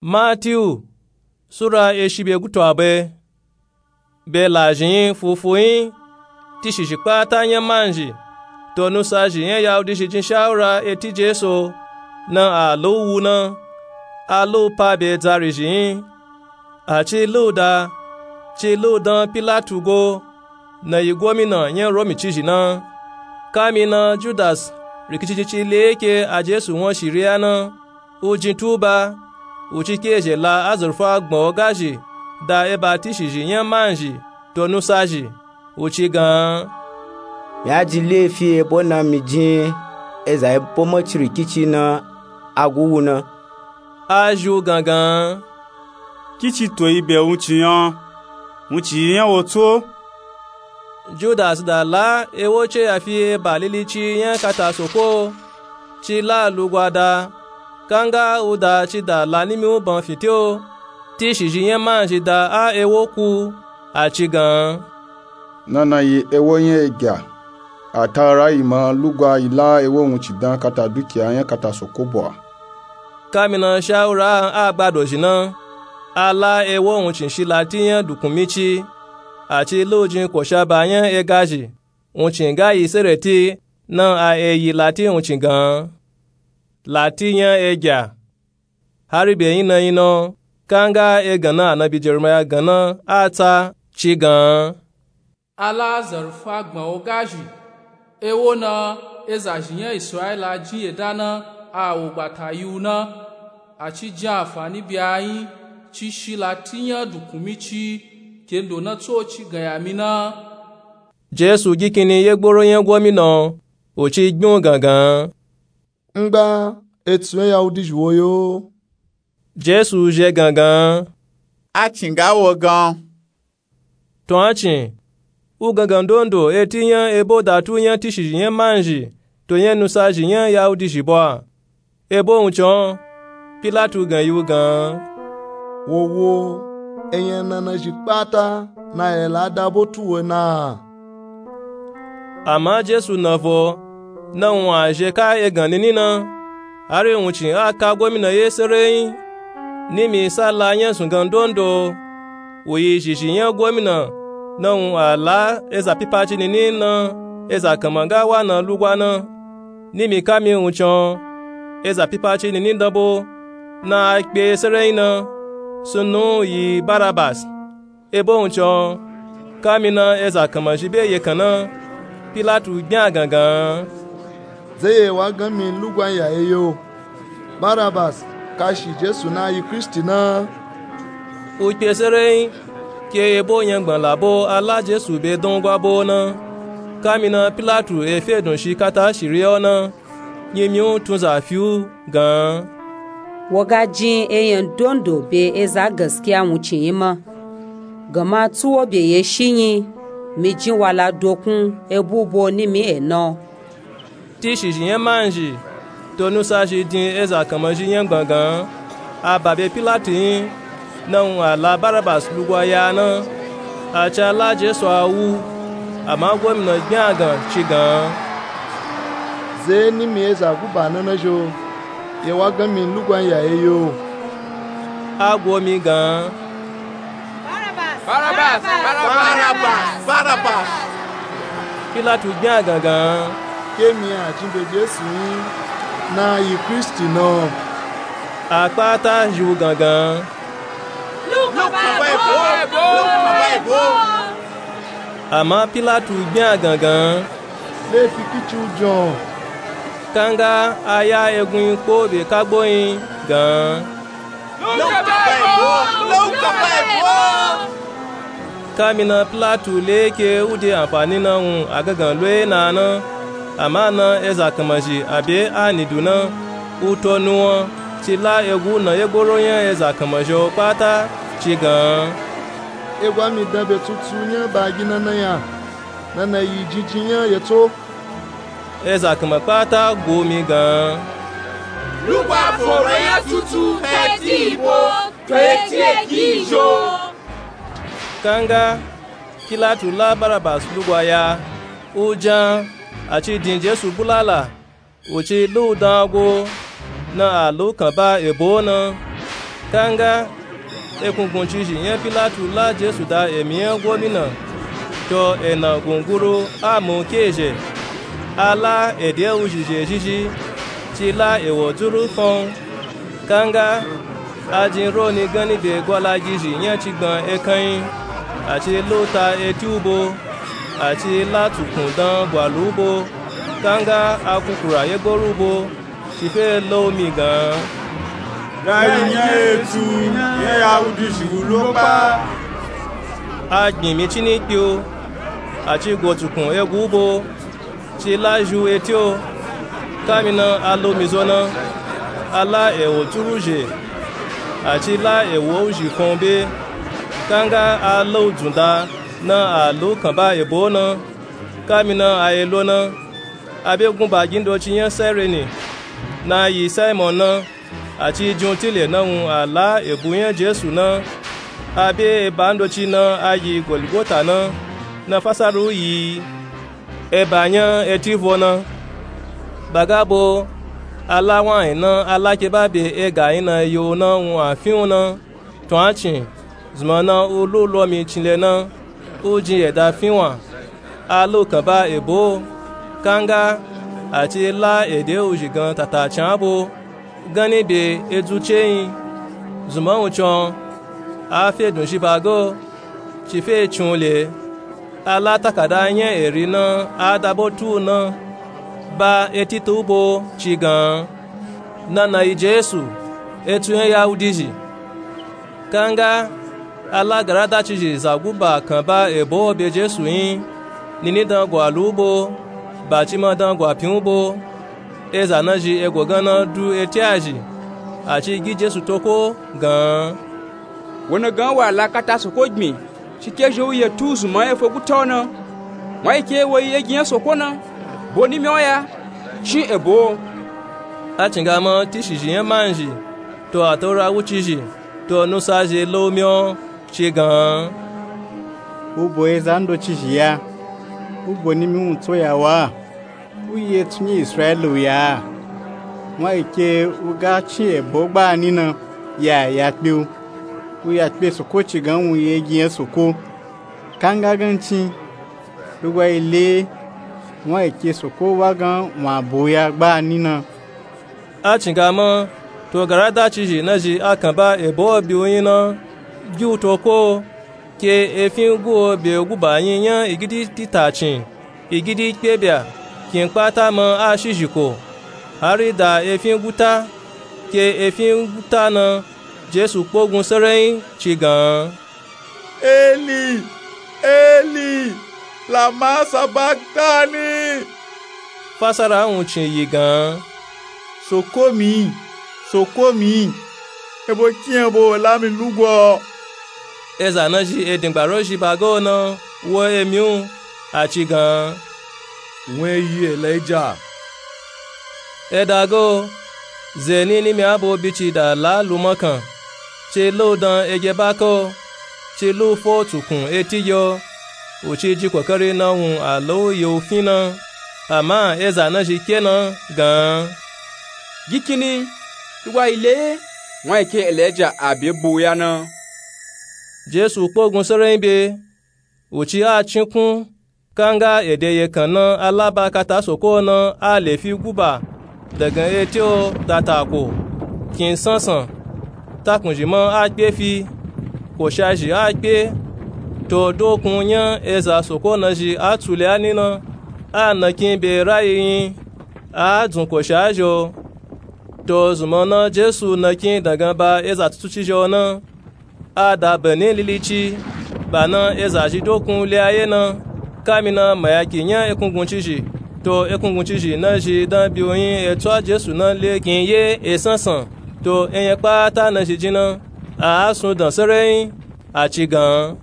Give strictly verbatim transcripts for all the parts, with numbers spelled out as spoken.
Matiyu sura eshi be gutu abe. Be lazhin fufuyin tishizhi kpata nya manzhi to nusazhi nya yahudi zhi jin shawura eti jesu na a lu wu na. A lu pa be dzarizhin a ci lu da ci lu dan pilatu go na yi gomina nya romi cizhi na. Kamina judas rikicicicili eke a jesu won shiriya na u jin tuba u ci kezhe la azurfa gbọn ogazhi da eba tishizhi nya manzhi to nusazhi u ci gan. Mi a jin lefi ebo na mi jin eza ebo maci rikici na a gu wu na. A zhi u gangan. Kici to yi be wuncin nya wuncin yi nya wo tso. Judas da la ewo ce ya fi eba lilici nya kata soko ci la lugwa da. Kanga u da ci da la nimi u ban fitio tishizhi nya manzhi da a ewo ku a ci gan. Nana yi ewo nya egya a ta ra yi ma lugwa yi la ewo wuncin dan kata dukiya nya kata soko bo a. Kamina shawura a gbadozhi na a la ewo wuncin shi lati nya dukunmici a ci lu jin koshaba nya egazhi wuncin ga yi sereti na a eyi lati wuncin gan. Lati nya egya hari be yin na yin na kanga egan na anabi jeremiya gan na a tsa ci gan. A la azarfa gbọn ogazhi ewo na ezazhi nya israila jin yeda na a wo gbata yi u na. A ci jin anfani bi a yin ci shi lati nya dukunmici kendo na tso ci gan ya mi na. Jesu gi kini yegboro nya gomina u ci gbin u gangan. Ngba etsu nya yahudi zhi wo yo. Jesu zhe gangan. A cin ga wo gan. To a cin u gangan ndondo eti nya ebo datu nya tishizhi nya manzhi to nya nusazhi nya yahudi zhi bo a. Ebo wuncin pilatu gan yi u gan. Wowo enyana nazhi kpata na ye la da bo tu we na. Ama jesu na vo na wun a zhe ka egan nini na. Hari wuncin a ka gomina ye sereyin nimi sa la nya zungan ndondo. U yi zhizhi nya gomina na wun a la eza pipaci nini na eza kanma ga wa na lugwa na. Nimi kami wuncin eza pipaci nini dan bo na a kpe ye sereyin na. Sunnu yi barabas. Ebo wuncin kamina eza kanma zhi be ye kan na. Pilatu gbin a gangan. Ze ye wa gan mi lugwan ya ye yo? Barabas kashi jesu na yi kristi na. U kpe sereyin ke ebo nyangban labo a la jesu be dan u gwa bo na. Kamina pilatu e fe dun shi kata shiriya u na. Nyimi u tun za fi u gan. Wo ga jin eyan ndondo be eza gaskiya wuncin yi ma. Gama tsu wo be ye shi nyi mi jin wala dokun ebu bo nimi e na. Tishizhi nya manzhi to nusazhi din eza kanma zhi nyangban gan. A ba be pilatu yin na wun a la barabas lugwa ya na. A ca la jesu a wu. Ama gomina gbin a gan ci gan. Ze nimi eza guba na na zho ye wa gan mi lugwan ya ye yo? A go mi gan. Barabas! Barabas! Barabas! Barabas! Pilatu gbin a gangan. Ke mi a jin be jesu yin na yi kristi na. A kpata zhi u gangan. Ama pilatu gbin a gangan. Lefi kici u jon? Kanga a ya egun yin kpo be kagbo yin gan. Kamina pilatu le ke u de anfani na wun a gangan loye na na. Ama na eza kanma zhi a be a nidu na u to nuwan ci la egu na yegboro nya eza kanma zhi o kpata ci gan. Egwa mi dan be tutu nya ba gi na na ya na na yi jinjin nya ye tso. Eza kanma kpata go mi gan. Lugwa foro nya tutu eti ibo to eti egi ijo. Kanga pilatu la barabas lugwa ya u jan a ci din jesu bulala. U ci lu dan go na a lu kan ba ebo na. Kanga ekunguncizhi nya pilatu la jesu da emi nya gomina, to ena gunguru a mu kezhe. A la ede wuzhi zhe zhizhi, ci la ewo dzuru fon. Kanga a jin roni ganni be gwalagizhi nya cigban ekan nyi, a ci luta eti u bo, a ci la tsukun dan gwalu u bo. Kanga a kukura yegoro u bo, ci fe lo u mi gan, ga yi nya etu nya yawudizhi wu lo kpa. A gbin mi cini kpe u, a ci go tsukun egu u bo, ci la zhi u eti o. Kamina a lo u mi zo na, a la ewo tsuru zhe, a ci la ewo u zhi fon u be. Kanga a la u dzun da na a la u kanba ebo na. Kamina a ye lo na, a be gunba gin doci nya saireni, na yi saimon na, a ci jin u tile na wun a la ebu nya jesu na. A be eba ndoci na a yi goligota na, na fasara u yi eba nya eti vo na. Ba ga bo, a la wun ayin na a la ke ba be ega ayin na yo na wun a fin u na. Tun a cin, zunman na u lu u lo mi cinle na, u jin yeda fin wa, a la u kanba ebo. Kanga a ci la ede wuzhi gan tata can a bo, ganni be edzu ce nyi. Zunman wuncin a fe dun zhi ba ga o, ci fe cin u le. A la takada nya eri na a da bo tu u na, ba eti ta u bo, ci gan, nana yi jesu, etu nya yawudizhi. Kanga a la garadacizhi za guba kanba ebo be jesu nyi, nini dan gwalu u bo, ba ci ma dan gwapin u bo. Eza na zhi ego gan na du eti a zhi, a ci gi jesu toko gan, wo na gan wa la kata soko gbin, ci kezhe u ye tu u zunman efo guta o na. Wun ayi ke wo yi yegi nya soko na, bo nimi o ya, cin ebo o. A cingama tishizhi nya manzhi, to ataura wucizhi, to nusa zhe lo u mi o, ci gan, u bo eza ndocizhi ya, u bo nimi wuntso ya wa, u yi etu nya israeli u ya. Wun ayi ke u ga cin ebo gbani na, ya ya kpe u, u ya kpe soko ci gan wun yegi nya soko. Kanga gancin, lugwa yi le, wun ayi ke soko wa gan wun a bo u ya gbani na. A cingama, to garadacizhi na zhi a kanba ebo bi u nyi na, gi u toko o, ke efin gu o be guba nyi nya igidi tita cin, igidi kpe bya, kin kpata ma a shizhiko, hari da efin guta. Ke efin guta na, jesu kpogun serenyi, ci gan, eli, eli, lama sabaktani? Fasara wuncin yi gan, soko mi, soko mi, ebo kiyan bo la mi lugwa o? Eza na zhi edingba ro zhi ba ga o na wo emi u, a ci gan, wun e yi elija. E da ga o, ze ni nimi a bo bi ci da la lu makan, ci la u dan egye baka o, ci la u fo tsukun eti gye o, u ci ji kokari na wun a la u ye u fin na. Ama eza na zhi kpe na gan, gi kini, lugwa yi le, wun ayi ke elija a be bo u ya na. Jesu kpogun serenyi be, u ci a cinkun, kanga ede yekan na a la ba kata soko na a lefi guba, dagan eti o da tako, kin sansan, takunzhi ma a kpe fi, koshazhi a kpe, to dokun nya eza soko na zhi a tsu le a ni na, a nakin be rayi nyi, a dzun koshazhi o. To zunman na Jesu nakin dagan ba eza tutuci zhi o na, a da bani lilici, ba na eza zhi dokun le a ye na, kamina mayaki nya ekunguncizhi, to ekunguncizhi na zhi dan bi u nyi e tsu a Jesu na le kin ye e sansan, to enyẹ kpata na zhi jin na, a a sun dan serenyi, a ci gan,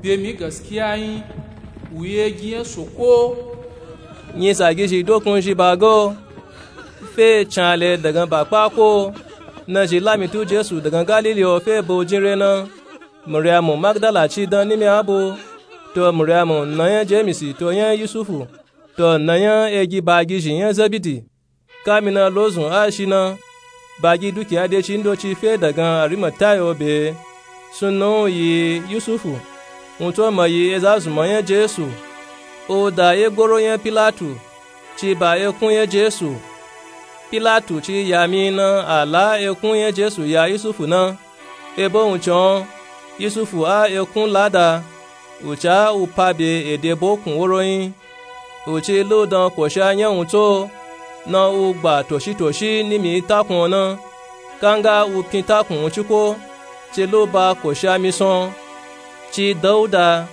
be mi gaskiya nyi, u ye gi nya soko. Nyisa gizhi dokun zhi ba ga o, fe can le dagan ba kpa ko, na zhi lami tu Jesu dagan Galili o fe ba u jin re na. Mariyamu Magdala ci dan nimi a bo, to Mariyamu na nya Jemisi to nya Yusufu, to na nya egi ba gizhi nya Zebidi. Kamina lozun a shi na, bagi dukiya deci ndoci fe dagan arimatayo be. Sunnan u yi yusufu, wun tso ma yi eza zunmọ nya jesu. U da ye goro nya pilatu, ci ba ekun nya jesu. Pilatu ci ya mi na a la ekun nya jesu ya yusufu na. Ebo wun con, yusufu a ekun lada, u ca u pa be ede bokun woro nyi. U ci lu dan kosha nya wun tso, na u gba toshi toshi nimi takun na. Kanga u pin takun wun ciko, ci lu ba kosha misan. Ci dauda,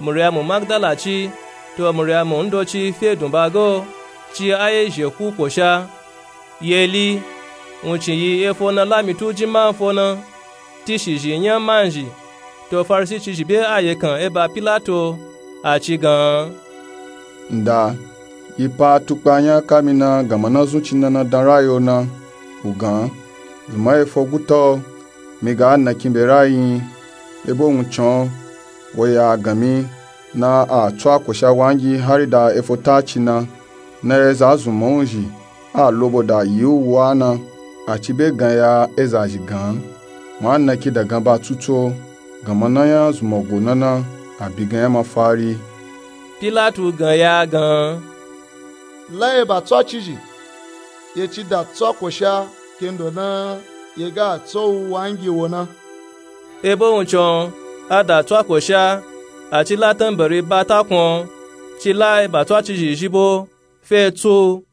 muryamu magdala ci, to muryamu ndoci fe dun ba go, ci a ye zheku kosha. Yeli, wun ci yi efo na lamitu jin manfo na, tishizhi nya manzhi. To farisi cizhi be ayekan eba pilato, a ci gan. Nda, yi pa tukpa nya kami na gama na zun ci na na dan rayo na. U gan, zunmọ efo guta o, mi ga nakin be rayi nyi. Ebo wun con, wo ya gan mi, na a tso akosha wangi hari da efo ta ci na. Na eza zunmọ wun zhi a lobo da yi u wa na. A ci be gan ya eza zhi gan, wa nakin dagan ba tutu o, gama na nya zunmọ go na na, a bi gan nya mafari. Pilatu gan ya gan, la ye ba tso a cizhi, ye ci da tso akosha kendo na ye ga tso u wangi wo na. Ebo wun con, a da tso akosha, a ci la tanbari ba takun o, ci la ye ba tso a cizhi zhi bo, fe tsu.